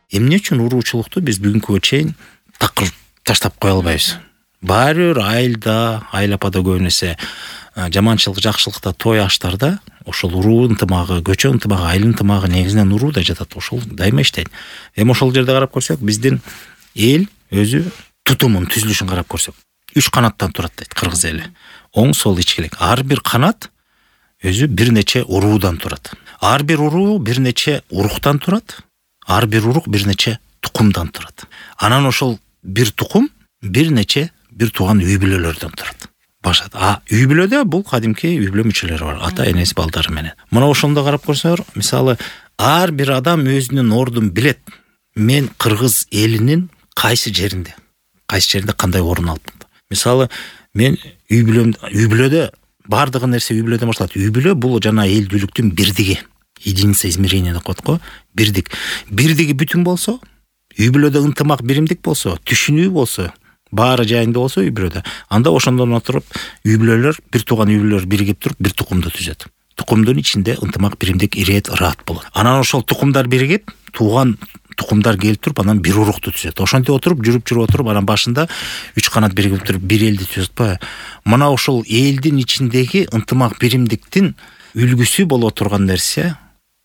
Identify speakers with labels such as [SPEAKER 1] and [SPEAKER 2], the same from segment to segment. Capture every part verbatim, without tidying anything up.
[SPEAKER 1] Эмне үчүн уруучулукту биз бүгүнкүгө чейин такыр таштап кое албайбыз? Баары бир айылда, айыл апада көбүн эсе жаманчылык, жакшылыкта, той аштарда ошол уруу ынтымагы, көчө ынтымагы, айыл ынтымагы негизинен урууда жатат. Ошол дайыма иштейт. Эми ошол жерде карап көрсөк, биздин эл өзү тутумун, түзүлүшүн карап көрсөк, үч канаттан турат дейт кыргыз эли. Оң, сол, ичкилик. Ар бир канат өзү бир нече уруудан турат. Ар бир уруу бир нече уруктан турат. Ар бир урук бир нече тукумдан турат. Анан ошол бир тукум бир нече бир тууган үй бүлөлөрдөн турат. Башат. А үй бүлөдө бул кадимки үй бүлө мүчөлөрү бар. Ата, энеси, балдары менен. Мына ошондо карап көрсөңөр, мисалы, ар бир адам өзүнүн ордун билет. Мен кыргыз элинин кайсы жеринде, кайсы жеринде кандай орун алып. Мисалы, мен үй бүлөм, үй бүлөдө бардыгы нерсе үй бүлөдөн башталат. Үй бүлө бул жана элдүүлүктүн бирдиги. Единица измерения деп коет го. Бирдик. Бирдиги бүтүн болсо, үй бүлөдө ынтымак, биримдик болсо, түшүнүү болсо, баары жайында болсо үй бүлөдө, анда ошондон отуруп үй бүлөлөр, бир тууган үй бүлөлөр биригип туруп бир тукумду түзөт. Тукумдун ичинде ынтымак, биримдик, ирэет, ыраат болот. Анан ошол тукумдар биригип, тууган тукумдар келип туруп, анан бир урукту түзөт. Ошентип отуруп, жүрүп жүрүп отуруп, анан башында үч канат биригип туруп бир элди түзөт атпайбы? Мына ошол элдин ичиндеги ынтымак, биримдиктин үлгүсү боло турган нерсе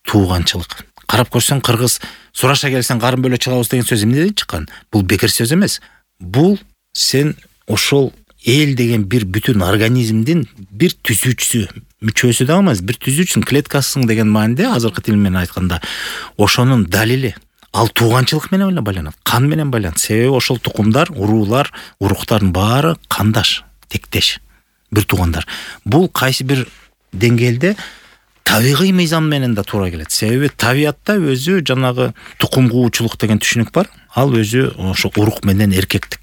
[SPEAKER 1] тууганчылык. Карап көрсөң, кыргыз сураша келсең карын бөлө чыгабыз деген сөз эмнеден чыккан? Бул бекер сөз эмес. Бул сен ошол эл деген бир бүтүн организмдин бир түзүүчүсү, мүчөсү да эмес, бир түзүүчүсүң, клеткасың деген мааниде, азыркы тил менен айтканда, ошонун далили. Ал тууганчылык менен эле байланат, кан менен байланат. Себеби ошол тукумдар, уруулар, уруктардын баары кандаш, тектеш, бир туугандар. Бул кайсы бир деңгээлде табигый мыйзам менен да туура келет. Себеби табиатта өзү жанагы тукум куучулук деген түшүнүк бар. Ал өзү ошо урук менен эркектик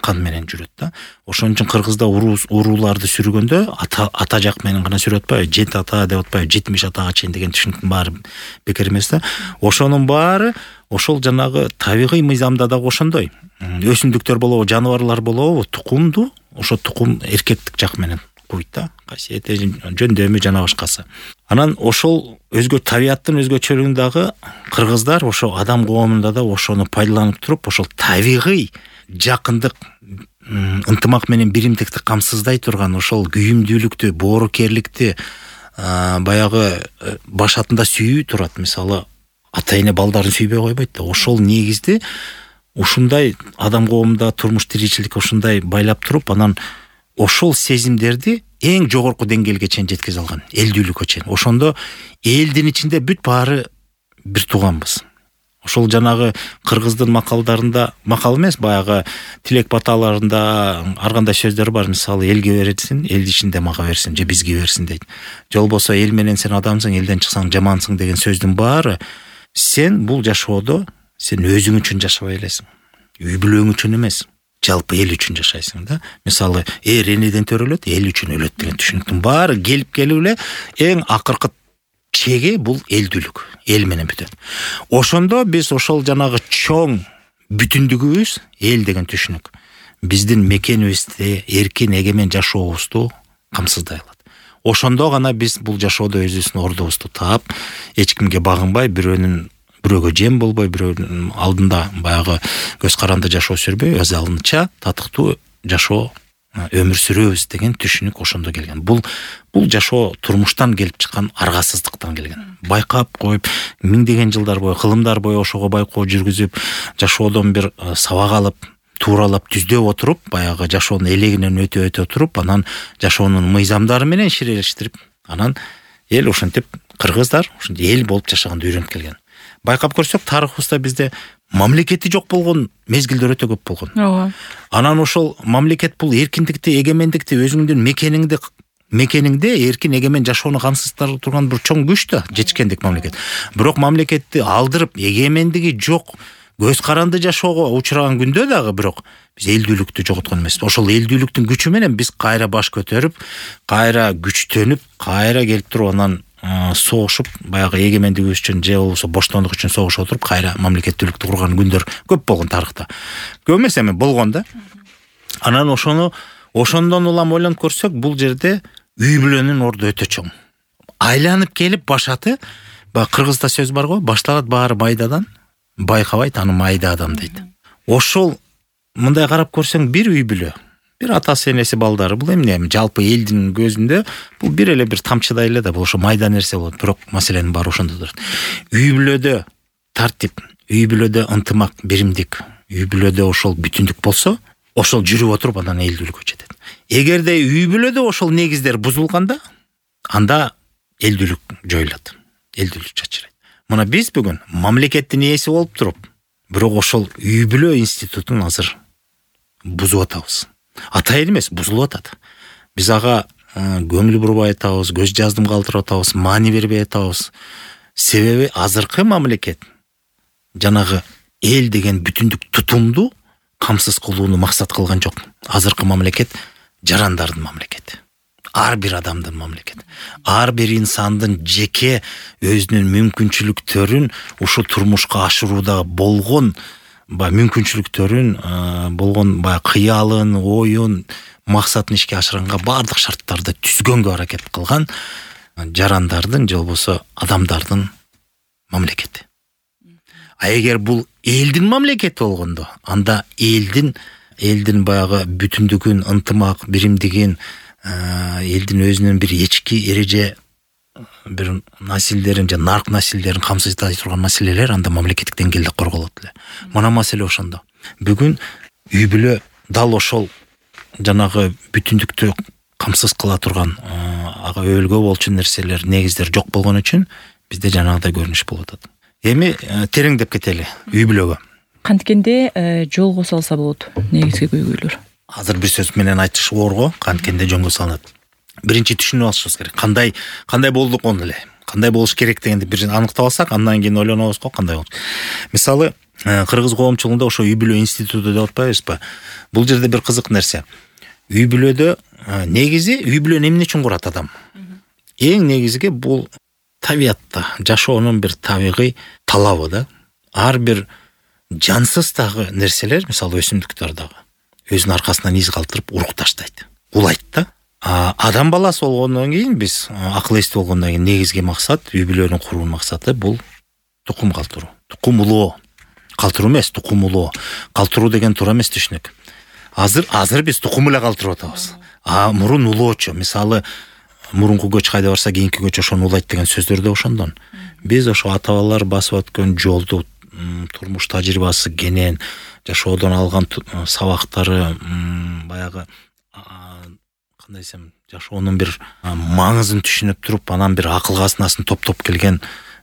[SPEAKER 1] кан менен жүрөт да. Ошон үчүн кыргызда урууларды сүргөндө ата ата жак менен гана сүрөт атпайбы? Жет ата деп атпайбы? жетимиш атага чейин деген түшүнүктүн баары бекер эмес да. Ошонун баары ошол жанагы табигый мыйзамда дагы ошондой. Өсүмдүктөр болобу, жаныбарлар болобу, тукумду ошо тукум эркектик жак менен куйт да. Касиети, жөндөмү жана башкасы. Анан ошол өзгө табиаттын өзгөчөлүгүн дагы кыргыздар ошо адам коомунда да ошону пайдаланып туруп, ошол табигый жакындык, ынтымак менен биримдикти камсыздай турган ошол күйүмдүүлүктү, боорукерликти баягы башатында сүйүү турат. Мисалы, ата эне балдарын сүйбөй койбойт да. Ошол негизди ушундай адам коомунда турмуш тиричилик ушундай байлап туруп, анан ошол сезимдерди эң жогорку деңгээлге чейин жеткизе алган, элдүүлүккө чейин. Ошондо элдин ичинде бүт баары бир тууганбыз. Ошол жанагы кыргыздын макалдарында, макал эмес, баягы тилек баталарында ар кандай сөздөр бар. Мисалы, элге берсин, эл ичинде мага берсин, же бизге берсин дейт. Же болбосо эл менен сен адамсың, элден чыксаң жамансың деген сөздүн баары сен бул жашоодо сен өзүң үчүн жашабай элесиң. Үй бүлөң үчүн эмес, жалпы эл үчүн жашайсың да. Мисалы, эр энеден төрөлөт, эл үчүн өлөт деген түшүнүктүн баары келип келип эле эң акыркы чеги бул элдүүлүк, эл менен бүтөт. Ошондо биз ошол жанагы чоң бүтүндүгүбүз эл деген түшүнүк биздин мекенибизди, эркин эгемен жашообузду камсыздай алат. Ошондо гана биз бул жашоодо өзүбүздүн ордубузду таап, эч кимге багынбай, бирөөнүн бирөөгө жем болбой, бирөөнүн алдында баягы көз каранды жашоо сүрбөй, өз алдынча татыктуу жашоо өмүр сүрөбүз деген түшүнүк ошондо келген. Бул бул жашоо турмуштан келип чыккан аргасыздыктан келген. Байкап коюп, миңдеген жылдар бою, кылымдар бою ошого байкоо жүргүзүп, жашоодон бир сабак алып, тууралап, түздөп отуруп, баягы жашоонун элегинен өтө өтө туруп, анан жашоонун мыйзамдары менен ширештирип, анан эл ошентип кыргыздар ошентип эл болуп жашаганды үйрөнүп келген. Байкап көрсөк, тарыхыбызда бизде мамлекети жок болгон мезгилдер өтө көп болгон. Ооба. Анан ошол мамлекет бул эркиндикти, эгемендикти өзүңдүн мекениңде мекениңде эркин эгемен жашоону камсыздап турган бир чоң күч да, жетишкендик мамлекет. Бирок мамлекетти алдырып, эгемендиги жок, көз каранды жашоого учураган күндө дагы бирок биз элдүүлүктү жоготкон эмеспиз. Ошол элдүүлүктүн күчү менен биз кайра баш көтөрүп, кайра күчтөнүп, кайра келип туруп анан согушуп, баягы эгемендигибиз үчүн же болбосо боштондук үчүн согушуп отуруп, кайра мамлекеттүүлүктү курган күндөр көп болгон тарыхта. Көп эмес эми болгон да. Анан ошону ошондон улам ойлонуп көрсөк, бул жерде үй бүлөнүн орду өтө чоң. Айланып келип башаты, баягы кыргызда сөз бар го, башталат баары майдадан, байкабайт, аны майда адам дейт. Ошол мындай карап көрсөң бир үй бүлө, бир атасы энеси балдары, бул эмне жалпы элдин көзүндө бул бир эле бир тамчыдай эле да, бул ошо майда нерсе болот, бирок маселенин баары ошондо турат. Үй бүлөдө тартип, үй бүлөдө ынтымак, биримдик, үй бүлөдө ошол бүтүндүк болсо, ошол жүрүп отуруп анан элдүүлүккө жетет. Эгерде үй бүлөдө ошол негиздер бузулганда, анда элдүүлүк жоюлат, элдүүлүк чачырайт. Мына биз бүгүн мамлекеттин ээси болуп туруп, бирок ошол үй бүлө институтун азыр бузуп атабыз. Атайын эмес, бузулуп атат. Биз ага көңүл бурбай атабыз, көз жаздым калтырып атабыз, маани бербей атабыз. Себеби азыркы мамлекет жанагы эл деген бүтүндүк тутумду камсыз кылууну максат кылган жок. Азыркы мамлекет жарандардын мамлекети. Ар бир адамдын мамлекети. Ар бир инсандын жеке өзүнүн мүмкүнчүлүктөрүн ушу турмушка ашырууда болгон ба мүмкүнчүлүктөрүн болгон ба кыялын, оюн, максатын ишке ашырганга бардык шарттарды түзгөнгө аракет кылган жарандардын же болбосо адамдардын мамлекети. А эгер бул элдин мамлекети болгондо, анда элдин элдин баягы бүтүндүгүн, ынтымак, биримдигин, элдин өзүнүн бир ички эреже бир насилдерин же нарк насилдерин камсыздай турган маселелер анда мамлекеттик деңгээлде корголот эле. Мына маселе ошондо. Бүгүн үй бүлө дал ошол жанагы бүтүндүктү камсыз кыла турган ага өбөлгө болчу нерселер, негиздер жок болгон үчүн бизде жанагыдай көрүнүш болуп атат. Эми тереңдеп кетели үй бүлөгө.
[SPEAKER 2] Канткенде жолго салса болот негизги көйгөйлөр.
[SPEAKER 1] Азыр бир сөз менен айтыш оор го, канткенде жолго салынат. Биринчи түшүнүп алышыбыз керек. Кандай кандай болдук он эле. Кандай болуш керек дегенди бир аныктап алсак, андан кийин ойлонобуз го кандай болот. Мисалы, кыргыз коомчулугунда ошо үй бүлө институту деп атпайбызбы? Бул жерде бир кызык нерсе. Үй бүлөдө негизи үй бүлөнү эмне үчүн курат адам? Эң негизги бул табиатта жашоонун бир табигый талабы да. Ар бир жансыз дагы нерселер, мисалы өсүмдүктөр дагы өзүнүн аркасынан из калтырып урук таштайт, улайт да. Адам баласы болгондон кийин, биз акыл эстүү болгондон кийин негизги максат, үй бүлөнүн куруу максаты бул тукум калтыруу. Тукум улоо. Калтыруу эмес, тукум улоо. Калтыруу деген туура эмес түшүнүк. Азыр азыр биз тукум эле калтырып атабыз. А мурун улоочу, мисалы мурунку көч кайда барса кийинки көч ошону улайт деген сөздөр да ошондон. Биз ошо ата-бабалар басып өткөн жолду, турмуш тажрыйбасы кенен, жашоодон алган сабактары, баягы кандай десем, жашоонун бир маңызын түшүнүп туруп, анан бир акыл казынасын топтоп келген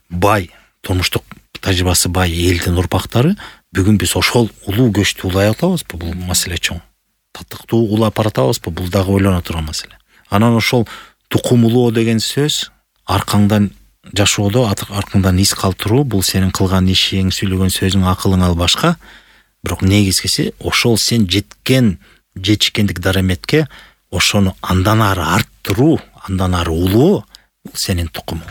[SPEAKER 1] бай, турмуштук тажрыйбасы бай элдин урпактары, бүгүн биз ошол улуу көчтү улай атабызбы? Бул маселе чоң. Татыктуу улап баратабызбы? Бул дагы ойлоно турган маселе. Анан ошол тукум улоо деген сөз аркаңдан жашоодо аркаңдан из калтыруу, бул сенин кылган ишиң, сүйлөгөн сөзүң, акылың ал башка. Бирок негизгиси ошол сен жеткен жетишкендик дараметке ошону андан ары арттыруу, андан ары улоо, бул сенин тукумуң.